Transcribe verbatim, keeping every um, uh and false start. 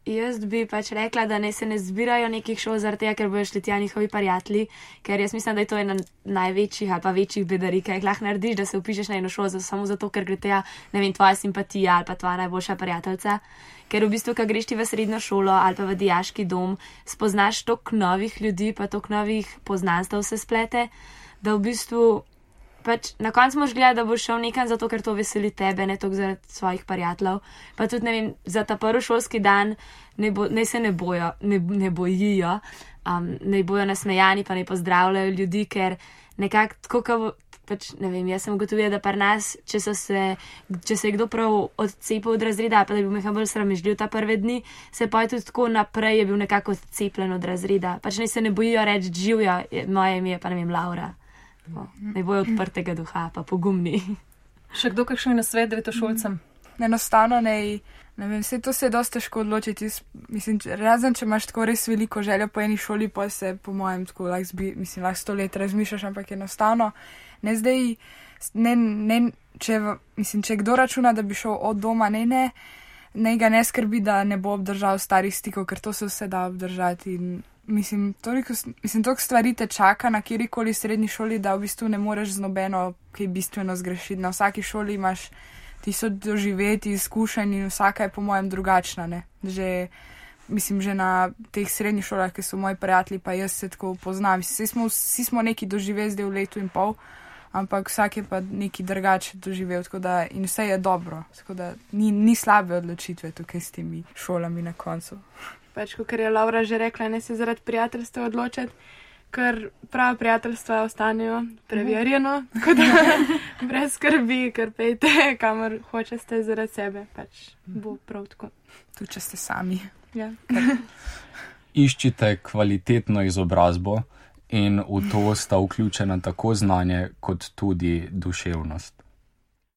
jaz bi pač rekla, da ne se ne zbirajo nekih šol zaradi tega, ker bojo šli tja njihovi prijatelji, ker jaz mislim, da je to ena največjih ali pa večjih bedarij, kaj jih lahko narediš, da se upišeš na eno šolo samo zato, ker gre tja, ne vem, tvoja simpatija ali pa tvoja najboljša prijateljica. Ker v bistvu, ko greš ti v srednjo šolo ali pa v dijaški dom, spoznaš toliko novih ljudi, pa toliko novih poznanstev se splete, da v bistvu pač na koncu moš gledati, da boš šel nekam zato, ker to veseli tebe, ne toliko zaradi svojih prijateljev. Pa tudi, ne vem, za ta prvi šolski dan ne, bo, ne se ne bojo, ne, ne bojijo, um, ne bojo nasmejani, pa ne pozdravljajo ljudi, ker nekako tako, kao, pač ne vem, jaz sem ugotovila, da pri nas, če, so se, če se je kdo prav odcepil od razreda, pa da je bil nekaj bolj sramežljiv ta prve dni, se pa je tudi tako naprej je bil nekako odcepljen od razreda. Pač ne se ne bojijo reči živijo, moje ime je pa ne vem, Laura. Ne bojo odprtega duha, pa pogumni. Še kdo kakšen nasvet devetošolcem? Enostavno ne, ne vem, vse to se je dosti težko odločiti. Mislim, razen, če imaš tako res veliko željo po eni šoli, pa se po mojem tako lahko zbi, mislim, lahko sto let razmišljaš, ampak enostavno ne zdaj, ne, ne, če, mislim, če kdo računa, da bi šel od doma, ne, ne, ne ga ne skrbi, da ne bo obdržal starih stikov, ker to se vse da obdržati in Mislim, toliko, mislim, toliko stvari te čaka na kjerikoli srednji šoli, da v bistvu ne moreš z nobeno kaj bistveno zgrešiti. Na vsaki šoli imaš tisoč doživeti, izkušenj in vsaka je po mojem drugačna, ne. Že, mislim, že na teh srednjih šolah, ki so moji prijatelji, pa jaz se tako poznam. Vsi smo, vsi smo neki doživeli zdaj v letu in pol, ampak vsak je pa neki drugače doživel, tako da in vse je dobro. Tako da ni, ni slabe odločitve tukaj s temi šolami na koncu. Pač, kot je Laura že rekla, ne se zaradi prijateljstva odločati, ker prava prijateljstva ostanejo preverjeno, tako da brez skrbi, ker pejte, kamor hočete zaradi sebe, pač bo prav tako. Tudi, če ste sami. Ja. Iščite kvalitetno izobrazbo in v to sta vključena tako znanje kot tudi duševnost.